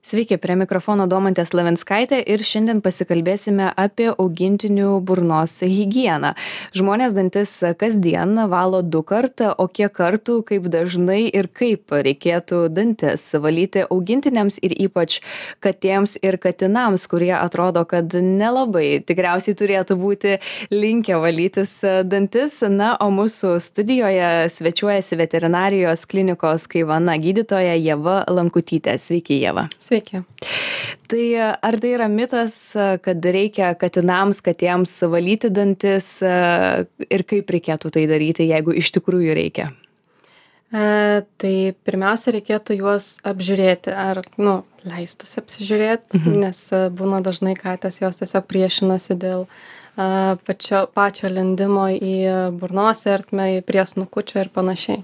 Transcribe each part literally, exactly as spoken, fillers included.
Sveiki, prie mikrofono Domantė Slavenskaitė ir šiandien pasikalbėsime apie augintinių burnos higieną. Žmonės dantis kasdien valo du kartą, o kiek kartų, kaip dažnai ir kaip reikėtų dantis valyti augintiniams ir ypač katėms ir katinams, kurie atrodo, kad nelabai tikriausiai turėtų būti linkę valytis dantis. Na, o mūsų studijoje svečiuojasi veterinarijos klinikos Kaivana gydytoja Ieva Lankutytė. Sveiki, Ieva. Sveiki. Tai ar tai yra mitas, kad reikia katinams, katėms valyti dantis ir kaip reikėtų tai daryti, jeigu iš tikrųjų reikia? E, tai pirmiausia, reikėtų juos apžiūrėti, ar nu, leistųsi apsižiūrėti, mhm. nes būna dažnai katės jos tiesiog priešinasi dėl a, pačio, pačio lindimo į burnos ertmę, į prie snukučio ir panašiai.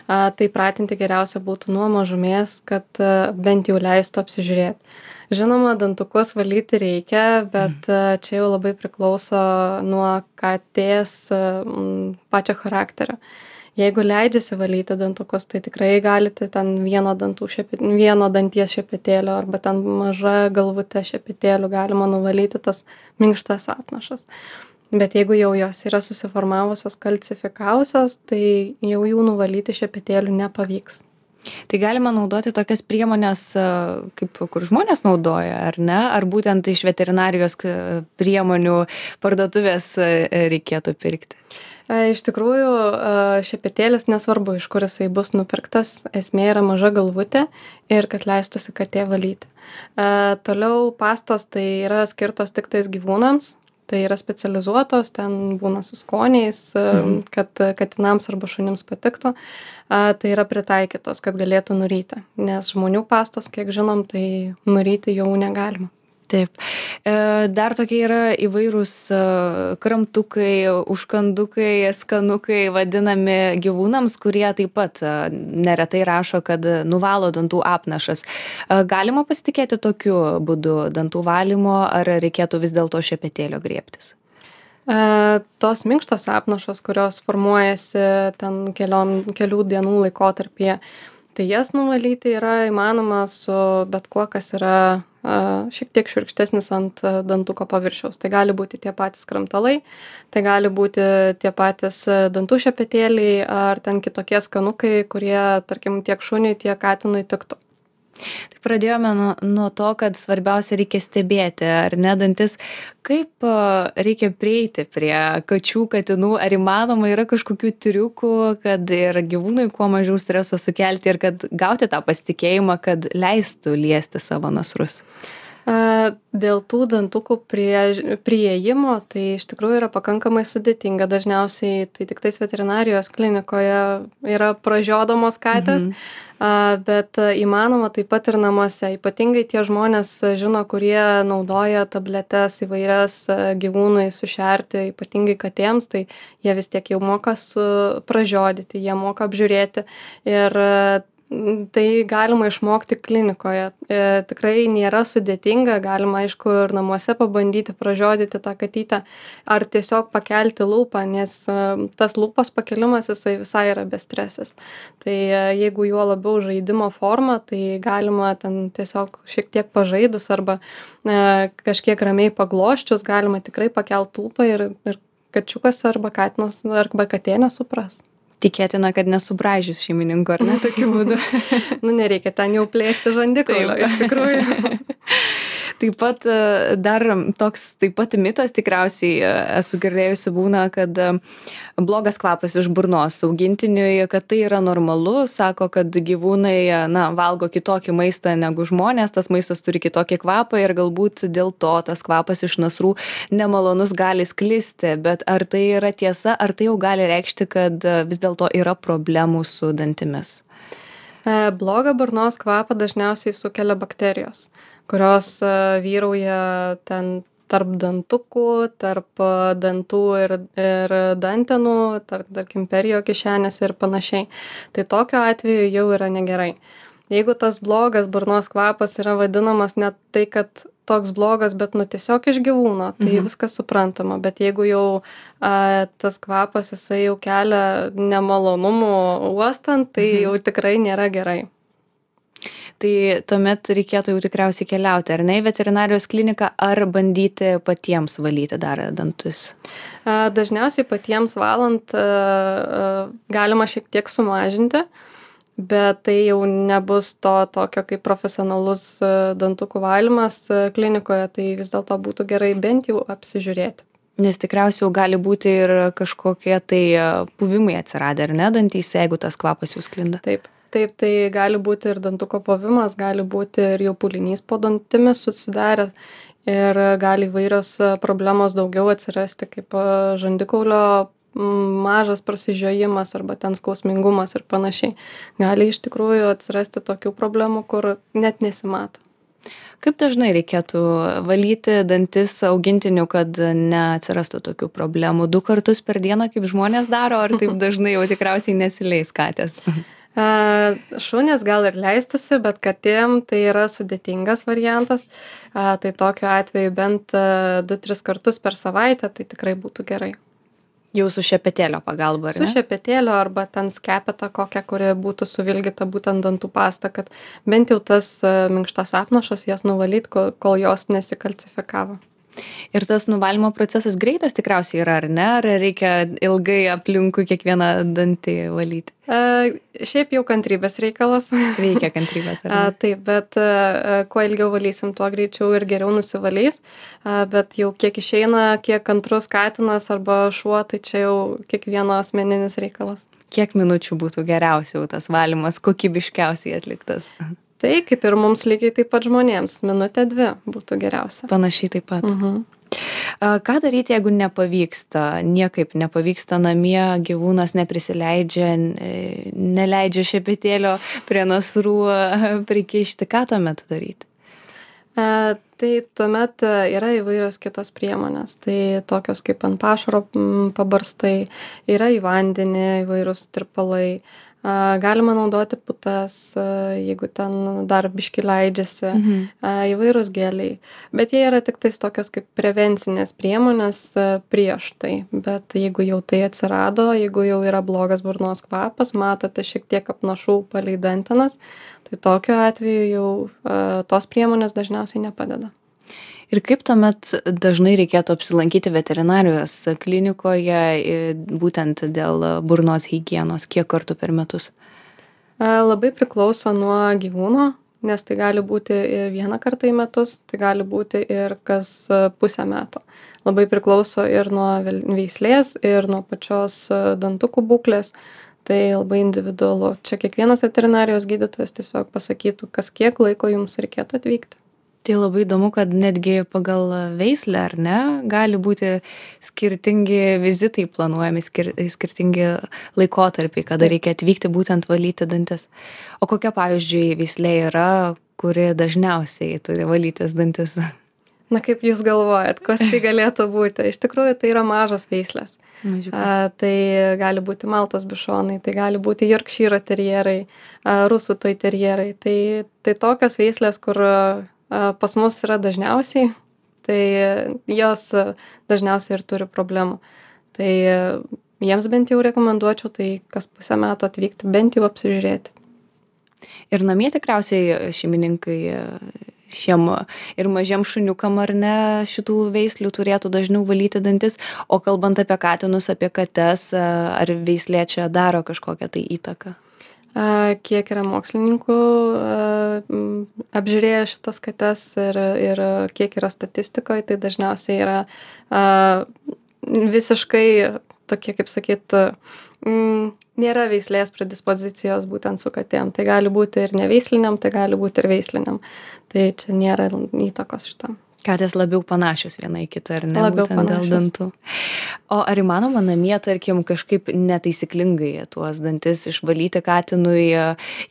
A, tai pratinti geriausia būtų nuo mažumės, kad a, bent jau leistų apsižiūrėti. Žinoma, dantukus valyti reikia, bet mm. čia jau labai priklauso nuo katės m, pačio charakterio. Jeigu leidžiasi valyti dantukus, tai tikrai galite ten vieno, dantų šepet, vieno danties šepetėlio arba ten maža galvute šepetėlių galima nuvalyti tas minkštas apnašas. Bet jeigu jau jos yra susiformavusios, kalcifikavusios, tai jau jų nuvalyti šepetėlių nepavyks. Tai galima naudoti tokias priemonės, kaip kur žmonės naudoja, ar ne? Ar būtent iš veterinarijos priemonių parduotuvės reikėtų pirkti? Iš tikrųjų, šepetėlis nesvarbu, iš kur jisai bus nupirktas, esmė yra maža galvutė ir kad leistųsi katė valyti. Toliau pastos tai yra skirtos tik tais gyvūnams. Tai yra specializuotos, ten būna su skoniais, mhm. kad katinams arba šunims patiktų. Tai yra pritaikytos, kad galėtų nuryti. Nes žmonių pastos, kiek žinom, tai nuryti jau negalima. Taip. Dar tokie yra įvairūs kramtukai, užkandukai, skanukai vadinami gyvūnams, kurie taip pat neretai rašo, kad nuvalo dantų apnašas. Galima pasitikėti tokiu būdu dantų valymo, ar reikėtų vis dėlto šepetėlio griebtis? E, tos minkštos apnašos, kurios formuojasi ten keliom, kelių dienų laikotarpyje, tai jas nuvalyti yra įmanoma su bet kuo, kas yra šiek tiek šiurkštesnis ant dantuko paviršiaus. Tai gali būti tie patys kramtalai, tai gali būti tie patys dantų šepetėliai ar ten kitokie skanukai, kurie, tarkim, tiek šuniui, tiek katinui tiktų. Tai pradėjome nuo, nuo to, kad svarbiausia reikia stebėti, ar ne dantis, kaip reikia prieiti prie kačių, katinų, ar įmanoma yra kažkokių triukų, kad ir gyvūnui kuo mažiau streso sukelti ir kad gauti tą pasitikėjimą, kad leistų liesti savo nasrus. Dėl tų dantukų prie, prieėjimo, tai iš tikrųjų yra pakankamai sudėtinga. Dažniausiai tai tik tais veterinarijos klinikoje yra pražiodomos katės, mhm. bet įmanoma taip pat ir namuose. Ypatingai tie žmonės žino, kurie naudoja tabletes įvairias gyvūnui sušerti, ypatingai katėms, tai jie vis tiek jau moka su pražiodyti, jie moka apžiūrėti ir tai galima išmokti klinikoje. E, tikrai nėra sudėtinga, galima aišku ir namuose pabandyti pražiodyti tą katytę ar tiesiog pakelti lūpą, nes e, tas lūpos pakelimas jisai visai yra bestresis. Tai e, jeigu juo labiau žaidimo forma, tai galima ten tiesiog šiek tiek pažaidus arba e, kažkiek ramiai pagloščius, galima tikrai pakelti lūpą ir, ir kačiukas arba katinas arba katė nesupras. Tikėtina, kad nesubraižys šeimininko, ar ne, tokiu būdu? Nu, nereikia ten jau plėšti žandikaulio, iš tikrųjų. Taip pat dar toks taip pat mitas tikriausiai esu girdėjusi būna, kad blogas kvapas iš burnos augintiniui, kad tai yra normalu, sako, kad gyvūnai na, valgo kitokį maistą negu žmonės, tas maistas turi kitokį kvapą ir galbūt dėl to tas kvapas iš nasrų nemalonus gali sklisti, bet ar tai yra tiesa, ar tai jau gali reikšti, kad vis dėlto yra problemų su dantimis? Blogą burnos kvapą dažniausiai sukelia bakterijos, kurios vyrauja ten tarp dantukų, tarp dantų ir, ir dantenų, tarp, tarkim, perijo kišenės ir panašiai. Tai tokiu atveju jau yra negerai. Jeigu tas blogas burnos kvapas yra vadinamas net tai, kad toks blogas, bet nu tiesiog iš gyvūno, tai mhm. viskas suprantama. Bet jeigu jau a, tas kvapas jisai jau kelia nemalonumų uostant, tai mhm. jau tikrai nėra gerai. Tai tuomet reikėtų jau tikriausiai keliauti, ar ne, į veterinarijos kliniką, ar bandyti patiems valyti dar dantis? Dažniausiai patiems valant galima šiek tiek sumažinti, bet tai jau nebus to tokio kaip profesionalus dantukų valymas klinikoje, tai vis dėlto būtų gerai bent jau apsižiūrėti. Nes tikriausiai jau gali būti ir kažkokie tai puvimai atsiradę, ar ne, dantyse, jeigu tas kvapas jau sklinda. Taip, taip, tai gali būti ir dantuko puvimas, gali būti ir jau pūlinys po dantimis susidaręs ir gali įvairios problemos daugiau atsirasti, kaip žandikaulio mažas prasižiojimas arba ten skausmingumas ir panašiai. Gali iš tikrųjų atsirasti tokių problemų, kur net nesimato. Kaip dažnai reikėtų valyti dantis augintinių, kad neatsirastų tokių problemų? Du kartus per dieną, kaip žmonės daro, ar taip dažnai jau tikriausiai nesileis katės? Šunės gal ir leistusi, bet katėm tai yra sudėtingas variantas. Tai tokiu atveju bent du tris kartus per savaitę, tai tikrai būtų gerai. Jau su šepetėlio pagalba, ar ne? Su šepetėlio arba ten skepeta kokia, kuri būtų suvilgyta būtent dantų pasta, kad bent jau tas minkštas apnašas jas nuvalyt, kol, kol jos nesikalcifikavo. Ir tas nuvalymo procesas greitas tikriausiai yra, ar ne? Ar reikia ilgai aplinkui kiekvieną dantį valyti? A, šiaip jau kantrybės reikalas. Reikia kantrybės, ar ne? A, taip, bet a, kuo ilgiau valysim, tuo greičiau ir geriau nusivalys. A, bet jau kiek išeina, kiek kantrus katinas arba šuo, tai čia jau kiekvieno asmeninis reikalas. Kiek minučių būtų geriausiai tas valymas, kokybiškiausiai atliktas? Tai kaip ir mums lygiai taip pat žmonėms, minutė dvi būtų geriausia. Panašiai taip pat. Mhm. Ką daryti, jeigu nepavyksta, niekaip nepavyksta namie, gyvūnas neprisileidžia, neleidžia šepetėlio prie nasrų prikišti, ką tuomet daryti? E, tai tuomet yra įvairios kitos priemonės, tai tokios kaip ant pašaro pabarstai, yra į vandenį įvairūs tirpalai. Galima naudoti putas, jeigu ten dar biški leidžiasi, mhm. įvairūs geliai. Bet jie yra tik tais tokios kaip prevencinės priemonės prieš tai. Bet jeigu jau tai atsirado, jeigu jau yra blogas burnos kvapas, matote šiek tiek apnašų palei dantenas, tai tokiu atveju jau tos priemonės dažniausiai nepadeda. Ir kaip tuomet dažnai reikėtų apsilankyti veterinarijos klinikoje būtent dėl burnos higienos, kiek kartų per metus? Labai priklauso nuo gyvūno, nes tai gali būti ir vieną kartą į metus, tai gali būti ir kas pusę metų. Labai priklauso ir nuo veislės, ir nuo pačios dantukų būklės. Tai labai individualu. Čia kiekvienas veterinarijos gydytojas tiesiog pasakytų, kas kiek laiko jums reikėtų atvykti. Tai labai įdomu, kad netgi pagal veislę, ar ne, gali būti skirtingi vizitai planuojami, skir skirtingi laikotarpiai, kada reikia atvykti būtent valyti dantis. O kokia, pavyzdžiui, veislė yra, kuri dažniausiai turi valytis dantis? Na, kaip jūs galvojat, kas tai galėtų būti? Iš tikrųjų, tai yra mažos veislės. A, tai gali būti maltos bišonai, tai gali būti jorkšyro terjerai, a, rusų toj terjerai. Tai, tai tokios veislės, kur pas mus yra dažniausiai, tai jos dažniausiai ir turi problemų. Tai jiems bent jau rekomenduočiau, tai kas pusę metų atvykti, bent jau apsižiūrėti. Ir namie tikriausiai šeimininkai šiem ir mažiem šuniukam ar ne šitų veislių turėtų dažniau valyti dantis, o kalbant apie katinus, apie kates, ar veislė čia daro kažkokią tai įtaką? Kiek yra mokslininkų apžiūrėję šitas kates ir, ir kiek yra statistikoje, tai dažniausiai yra visiškai tokie, kaip sakyt, nėra veislės predispozicijos būtent su katėm. Tai gali būti ir neveisliniam, tai gali būti ir veisliniam. Tai čia nėra įtakos šitam. Katės labiau panašios viena į kitą, ar ne? Labiau būtent dėl panašios. dantų. O ar įmanoma namie, tarkim, kažkaip netaisyklingai tuos dantis išvalyti katinui,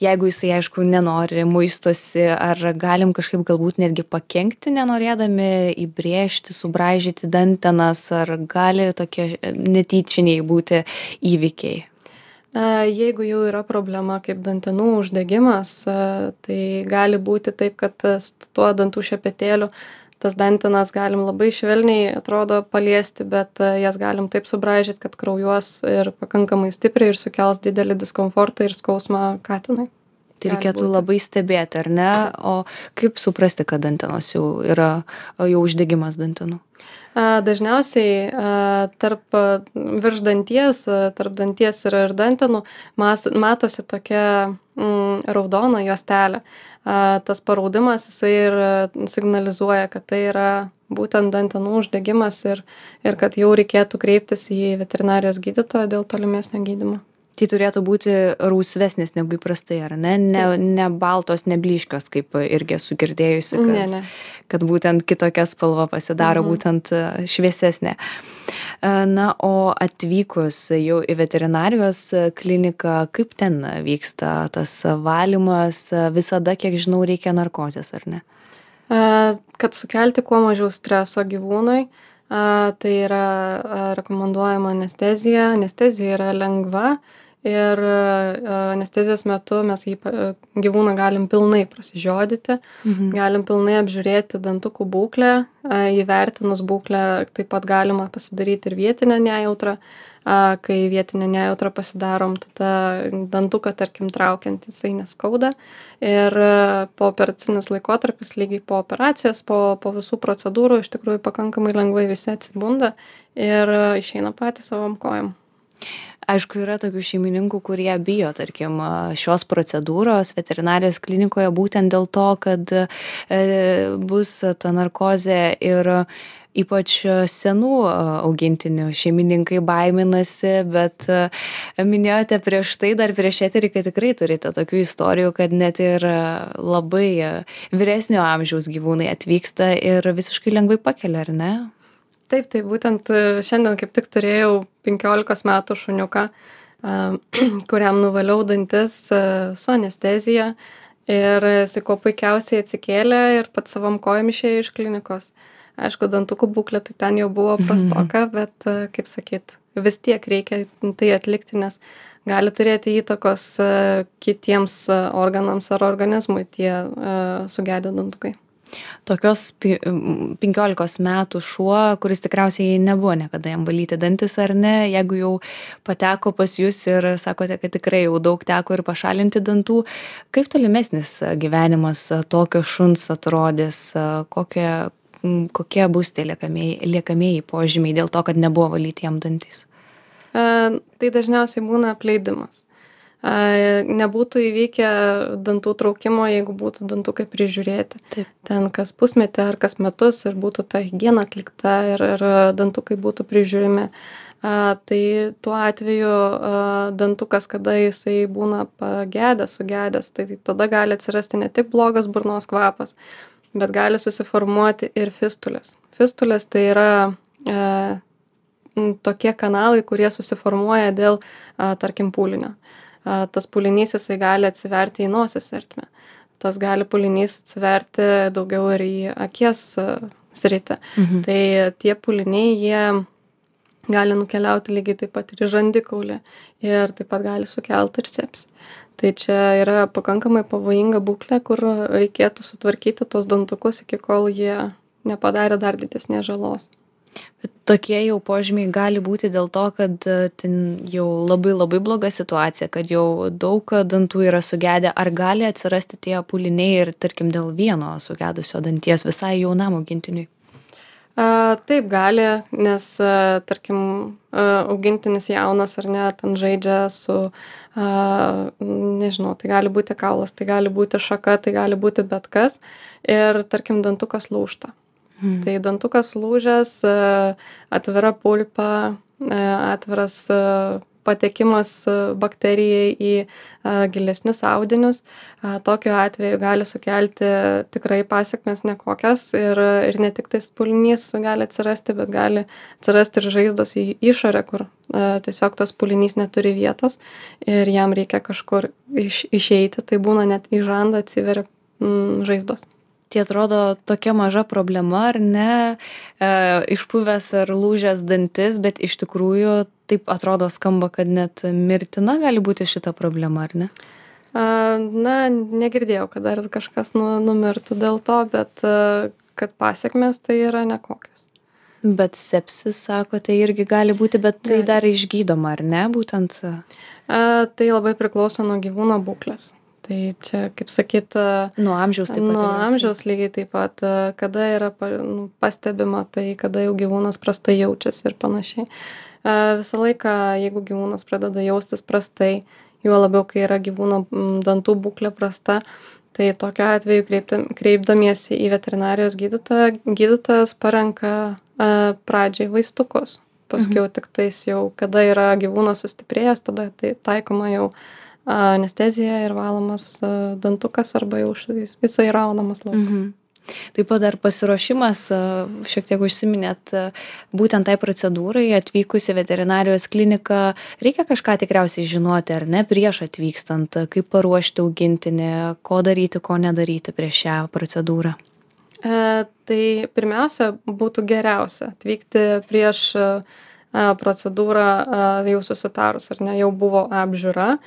jeigu jisai, aišku, nenori, muistosi, ar galim kažkaip galbūt netgi pakenkti, nenorėdami įbrėžti, subraižyti dantenas, ar gali tokie netyčiniai būti įvykiai? Jeigu jau yra problema kaip dantenų uždegimas, tai gali būti taip, kad tuo dantų šepetėliu tas dantenas galim labai švelniai, atrodo, paliesti, bet jas galim taip subraižyti, kad kraujuos ir pakankamai stipriai ir sukels didelį diskomfortą ir skausmą katinui. Tai gali reikėtų būti. labai stebėti, ar ne? O kaip suprasti, kad dantenos jau yra jau uždegimas dantenų? A, Dažniausiai a, tarp a, virš danties, a, tarp danties ir, ir dantenų mas, matosi tokia mm, raudona juostelė. A, Tas paraudimas jisai ir a, signalizuoja, kad tai yra būtent dantenų uždegimas ir, ir kad jau reikėtų kreiptis į veterinarijos gydytoją dėl tolimesnio gydymo. Tai turėtų būti rausvesnis negu įprastai, ar ne? Ne, ne baltos, ne blyškios, kaip irgi esu girdėjusi, kad, Ne, ne. kad būtent kitokia spalva pasidaro, Mhm. būtent e, šviesesnė. E, Na, o atvykus jau į veterinarijos kliniką, kaip ten vyksta tas valymas? Visada, kiek žinau, reikia narkozės, ar ne? A, Kad sukelti kuo mažiau streso gyvūnui, a, tai yra a, rekomenduojama anestezija. Anestezija yra lengva ir a, anestezijos metu mes jį, pa- gyvūną galim pilnai prasižiodyti, Mhm. galim pilnai apžiūrėti dantukų būklę, a, įvertinus būklę taip pat galima pasidaryti ir vietinę nejautrą. A, Kai vietinę nejautrą pasidarom, tada dantuką, tarkim, traukiant jisai neskauda. Ir a, po operacinis laikotarpis, lygiai po operacijos, po, po visų procedūrų, iš tikrųjų pakankamai lengvai visi atsibunda ir a, išeina patys savom kojom. Aišku, yra tokių šeimininkų, kurie bijo, tarkim, šios procedūros veterinarijos klinikoje būtent dėl to, kad e, bus ta narkozė ir ypač senų augintinių šeimininkai baiminasi, bet e, minėjote prieš tai, dar prieš eterį, kad tikrai turite tokių istorijų, kad net ir labai vyresnio amžiaus gyvūnai atvyksta ir visiškai lengvai pakelia, ar ne? Taip, tai būtent e, šiandien kaip tik turėjau penkiolikos metų šuniuką, a, kuriam nuvaliau dantis a, su anestezija ir jisai kuo puikiausiai atsikėlė ir pats savom kojom išėjo iš klinikos. Aišku, dantukų būklė tai ten jau buvo prastoka, bet, a, kaip sakyt, vis tiek reikia tai atlikti, nes gali turėti įtakos a, kitiems a, organams ar organizmui tie a, sugedę dantukai. Tokios pi- m, penkiolikos metų šuo, kuris tikriausiai nebuvo niekada jam valyti dantis, ar ne, jeigu jau pateko pas jūs ir sakote, kad tikrai jau daug teko ir pašalinti dantų, kaip tolimesnis gyvenimas tokio šuns atrodys, kokie, m, kokie bus tie liekamieji, liekamieji požymiai dėl to, kad nebuvo valyti jam dantys? E, Tai dažniausiai būna apleidimas. A, Nebūtų įvykę dantų traukimo, jeigu būtų dantukai prižiūrėti. Taip. Ten kas pusmetį ar kas metus ir būtų ta higiena atlikta ir, ir dantukai būtų prižiūrimi. A, Tai tuo atveju a, dantukas, kada jisai būna pagedęs, sugedęs, tai tada gali atsirasti ne tik blogas burnos kvapas, bet gali susiformuoti ir fistulės. Fistulės tai yra e, m, tokie kanalai, kurie susiformuoja dėl, a, tarkim, pūlinio. A, Tas pūlinys jisai gali atsiverti į nosies ertmę. Tas gali pūlinys atsiverti daugiau ir į akies a, sritį. Mhm. Tai tie pūliniai, jie gali nukeliauti lygiai taip pat ir į žandikaulį ir taip pat gali sukelti ir sepsį. Tai čia yra pakankamai pavojinga būklė, kur reikėtų sutvarkyti tos dantukus iki kol jie nepadarė dar didesnės žalos. Bet tokie jau požymiai gali būti dėl to, kad e, ten jau labai labai bloga situacija, kad jau daug dantų yra sugedę, ar gali atsirasti tie pūliniai ir, tarkim, dėl vieno sugedusio danties visai jaunam augintiniui? A, Taip gali, nes, a, tarkim, a, augintinis jaunas ar ne, ten žaidžia su, a, nežinau, tai gali būti kaulas, tai gali būti šaka, tai gali būti bet kas ir, tarkim, dantukas lūžta. Mhm. Tai dantukas lūžęs, a, atvira pulpa, a, atviras a, patekimas a, bakterijai į a, gilesnius audinius. A, Tokiu atveju gali sukelti tikrai pasekmes nekokias ir, ir ne tik tais pūlinys gali atsirasti, bet gali atsirasti ir žaizdos į išorę, kur a, tiesiog tas pūlinys neturi vietos ir jam reikia kažkur iš, išeiti. Tai būna net į žandą atsiveria mm, žaizdos. Tai atrodo tokia maža problema, ar ne, e, išpuvęs ar lūžęs dantis, bet iš tikrųjų taip atrodo skamba, kad net mirtina gali būti šita problema, ar ne? A, Na, negirdėjau, kad dar kažkas nu, numirtų dėl to, bet a, kad pasiekmes tai yra nekokios. Bet sepsis, sakote, irgi gali būti, bet tai Gali. dar išgydoma, ar ne, būtent? A, Tai labai priklauso nuo gyvūno būklės. Tai čia, kaip sakyt, nuo amžiaus taip pat. Nuo amžiaus lygiai taip pat, kada yra nu, pastebima, tai kada jau gyvūnas prastai jaučiasi ir panašiai. Visą laiką, jeigu gyvūnas pradeda jaustis prastai, juo labiau, kai yra gyvūno dantų būklė prasta, tai tokiu atveju kreiptam, kreipdamiesi į veterinarijos gydytoją, gydytojas parenka a, pradžiai vaistukus. Paskiau mhm. tik tais jau, kada yra gyvūnas sustiprėjęs, tada tai taikoma jau anestezija ir valomas a, dantukas arba jau visai raunamas lauk. Mhm. Taip pat dar pasiruošimas, šiek tiek užsiminėt, būtent tai procedūrai atvykus į veterinarijos kliniką, reikia kažką tikriausiai žinoti, ar ne, prieš atvykstant, kaip paruošti augintinį, ko daryti, ko nedaryti prieš šią procedūrą. E, tai pirmiausia, būtų geriausia atvykti prieš a, procedūrą a, jau susitarus, ar ne, jau buvo apžiūra.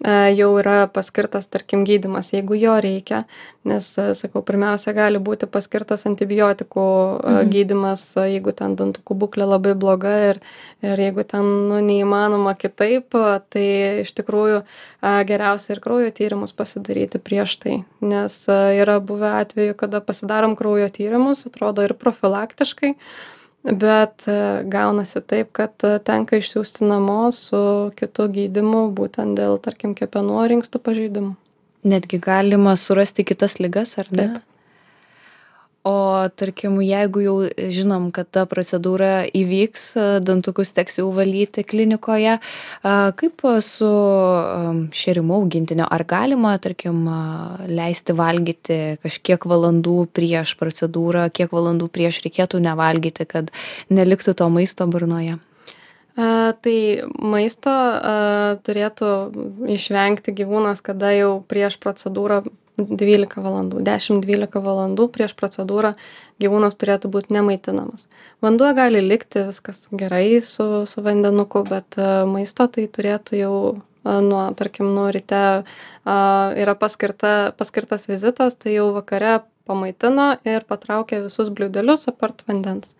Jau yra paskirtas, tarkim, gydymas, jeigu jo reikia, nes, sakau, pirmiausia, gali būti paskirtas antibiotikų mhm. gydymas, jeigu ten dantukų būklė labai bloga ir, ir jeigu ten nu, neįmanoma kitaip, tai iš tikrųjų geriausia ir kraujo tyrimus pasidaryti prieš tai, nes yra buvę atveju, kada pasidarom kraujo tyrimus, atrodo ir profilaktiškai, bet gaunasi taip, kad tenka išsiųsti namo su kitu gydymu, būtent dėl, tarkim, kepenų ar inkstų pažeidimų. Netgi galima surasti kitas ligas, ar ne? Taip. O tarkim, jeigu jau žinom, kad ta procedūra įvyks, dantukus teks jau valyti klinikoje, kaip su šėrimu augintinio? Ar galima, tarkim, leisti valgyti kažkiek valandų prieš procedūrą, kiek valandų prieš reikėtų nevalgyti, kad neliktų to maisto burnoje? A, tai maisto a, turėtų išvengti gyvūnas, kada jau prieš procedūrą dvylika valandų, dešimt dvylika valandų prieš procedūrą gyvūnas turėtų būti nemaitinamas. Vanduo gali likti, viskas gerai su, su vandenuku, bet a, maisto tai turėtų jau a, nuo, tarkim, nuo ryte a, yra paskirta, paskirtas vizitas, tai jau vakare pamaitino ir patraukė visus bliūdelius apart vandens.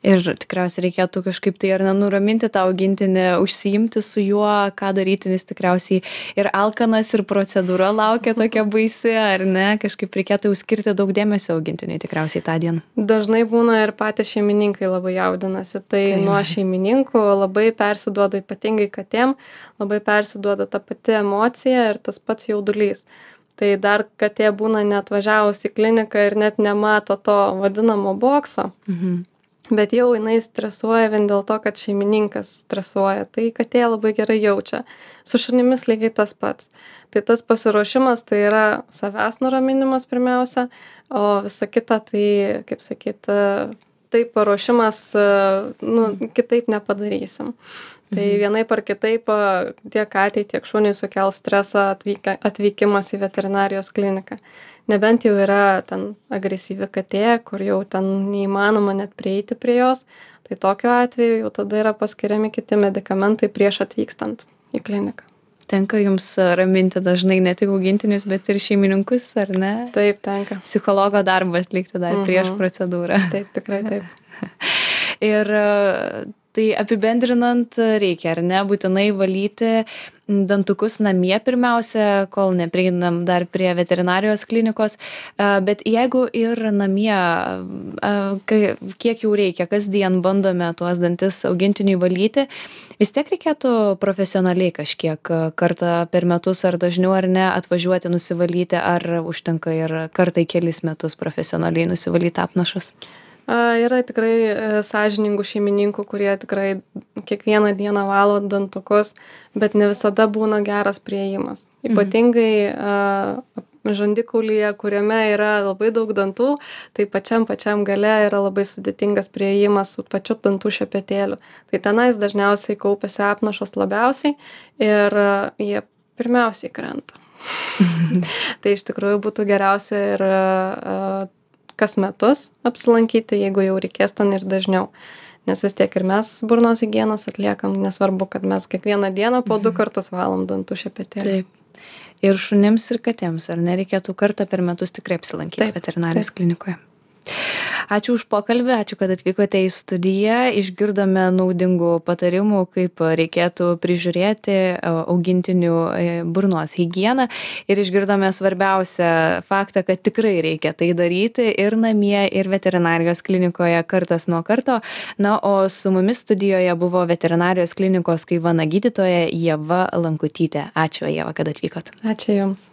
Ir tikriausiai reikėtų kažkaip tai ar nenuraminti tą augintinį, užsiimti su juo, ką daryti, nes tikriausiai ir alkanas, ir procedūra laukia tokia baisi, ar ne? Kažkaip reikėtų jau skirti daug dėmesio augintiniui tikriausiai tą dieną. Dažnai būna ir patys šeimininkai labai jaudinasi, tai, tai nuo šeimininkų labai persiduoda, ypatingai katėm, labai persiduoda ta pati emocija ir tas pats jaudulys. Tai dar katė būna neatvažiavus į kliniką ir net nemato to vadinamo bokso. Mhm. Bet jau jinai stresuoja vien dėl to, kad šeimininkas stresuoja. Tai katė labai gerai jaučia. Su šunimis lygiai tas pats. Tai tas pasiruošimas tai yra savęs nuraminimas pirmiausia, o visa kita tai, kaip sakyt, tai paruošimas, nu, kitaip nepadarysim. Tai vienaip ar kitaip tiek katei, tiek šuniui sukels stresą atvyka, atvykimas į veterinarijos kliniką. Nebent jau yra ten agresyvi katė, kur jau ten neįmanoma net prieiti prie jos, tai tokiu atveju jau tada yra paskiriami kiti medikamentai prieš atvykstant į kliniką. Tenka jums raminti dažnai ne tik augintinius, bet ir šeimininkus, ar ne? Taip, tenka. Psichologo darbą atlikti dar mhm. prieš procedūrą. Taip, tikrai taip. Ir tai apibendrinant reikia, ar ne, būtinai valyti dantukus namie pirmiausia, kol neprieinam dar prie veterinarijos klinikos, bet jeigu ir namie, kiek jau reikia, kasdien bandome tuos dantis augintiniui valyti, vis tiek reikėtų profesionaliai kažkiek kartą per metus ar dažniau ar ne atvažiuoti nusivalyti, ar užtenka ir kartą į kelis metus profesionaliai nusivalyti apnašas? Yra tikrai sąžiningų šeimininkų, kurie tikrai kiekvieną dieną valo dantukus, bet ne visada būna geras priėjimas. Ypatingai mhm. žandikaulyje, kuriame yra labai daug dantų, tai pačiam pačiam gale yra labai sudėtingas priėjimas su pačiu dantų šepetėliu. Tai tenais dažniausiai kaupiasi apnašos labiausiai ir jie pirmiausiai krenta. Tai iš tikrųjų būtų geriausia ir kas metus apsilankyti, jeigu jau reikės ten ir dažniau. Nes vis tiek ir mes burnos higienos atliekam, nesvarbu, kad mes kiekvieną dieną po du kartus valom dantų šepetėlį. Taip. Ir šunims ir katėms, ar nereikėtų kartą per metus tikrai apsilankyti taip, veterinarijos taip. klinikoje? Ačiū už pokalbį, ačiū, kad atvykote į studiją. Išgirdome naudingų patarimų, kaip reikėtų prižiūrėti augintinių burnos higieną ir išgirdome svarbiausią faktą, kad tikrai reikia tai daryti ir namie, ir veterinarijos klinikoje kartas nuo karto. Na, o su mumis studijoje buvo veterinarijos klinikos Kaivana gydytoja Ieva Lankutytė. Ačiū, Ieva, kad atvykot. Ačiū Jums.